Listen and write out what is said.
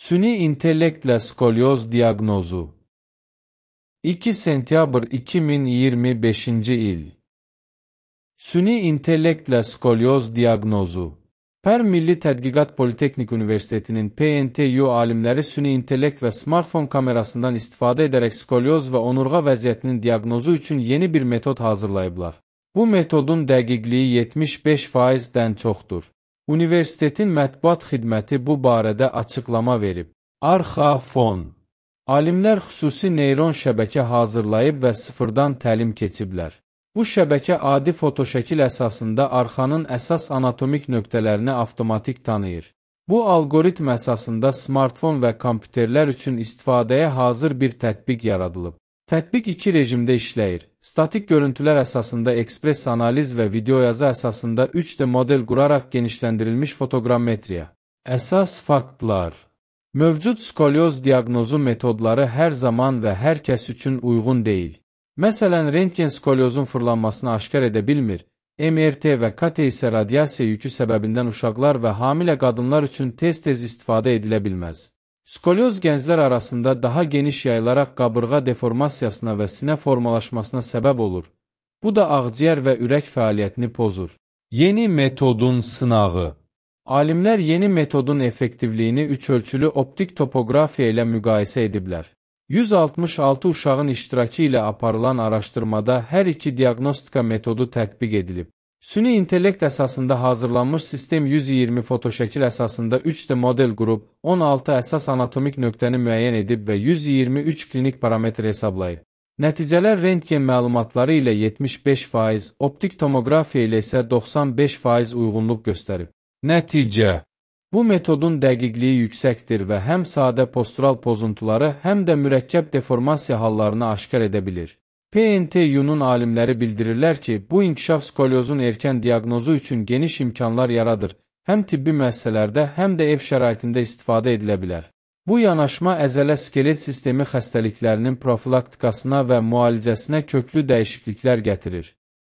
Süni intellektlə skolyoz diaqnozu 2 sentyabr 2025-ci il Süni intellektlə skolyoz diaqnozu Pər Milli Tədqiqat Politexnik Universitetinin PNTU alimləri süni intellekt və smartfon kamerasından istifadə edərək skolyoz və onurğa vəziyyətinin diaqnozu üçün yeni bir metod hazırlayıblar. Bu metodun dəqiqliyi 75%-dən çoxdur. Universitetin mətbuat xidməti bu barədə açıqlama verib. Arxa fon Alimlər xüsusi neyron şəbəkə hazırlayıb və sıfırdan təlim keçiblər. Bu şəbəkə adi fotoşəkil əsasında arxanın əsas anatomik nöqtələrini avtomatik tanıyır. Bu algoritm əsasında smartfon və kompüterlər üçün istifadəyə hazır bir tətbiq yaradılıb. Tətbiq iki rejimdə işləyir. Statik görüntülər əsasında ekspres analiz və videoyazı əsasında 3D model quraraq genişləndirilmiş fotoqrammetriya. Əsas faktlar Mövcud skolyoz diaqnozu metodları hər zaman və hər kəs üçün uyğun deyil. Məsələn, rentgen skolyozun fırlanmasını aşkar edə bilmir, MRT və KT isə radiasiya yükü səbəbindən uşaqlar və hamilə qadınlar üçün tez-tez istifadə edilə bilməz. Skolyoz gənclər arasında daha geniş yayılaraq qabırğa deformasiyasına və sinə formalaşmasına səbəb olur. Bu da ağciyər və ürək fəaliyyətini pozur. Yeni metodun sınağı Alimlər yeni metodun effektivliyini üç ölçülü optik topoqrafiya ilə müqayisə ediblər. 166 uşağın iştirakı ilə aparılan araşdırmada hər iki diaqnostika metodu tətbiq edilib. Süni intellekt əsasında hazırlanmış sistem 120 fotoşəkil əsasında 3D model qurub, 16 əsas anatomik nöqtəni müəyyən edib və 123 klinik parametr hesablayıb. Nəticələr rentgen məlumatları ilə 75%, optik tomoqrafiya ilə isə 95% uyğunluq göstərib. Nəticə Bu metodun dəqiqliyi yüksəkdir və həm sadə postural pozuntuları, həm də mürəkkəb deformasiya hallarını aşkar edə bilir. PNTU-nun alimləri bildirirlər ki, bu inkişaf skolyozun erkən diaqnozu üçün geniş imkanlar yaradır, həm tibbi müəssisələrdə, həm də ev şəraitində istifadə edilə bilər. Bu yanaşma əzələ-skelet sistemi xəstəliklərinin profilaktikasına və müalicəsinə köklü dəyişikliklər gətirir.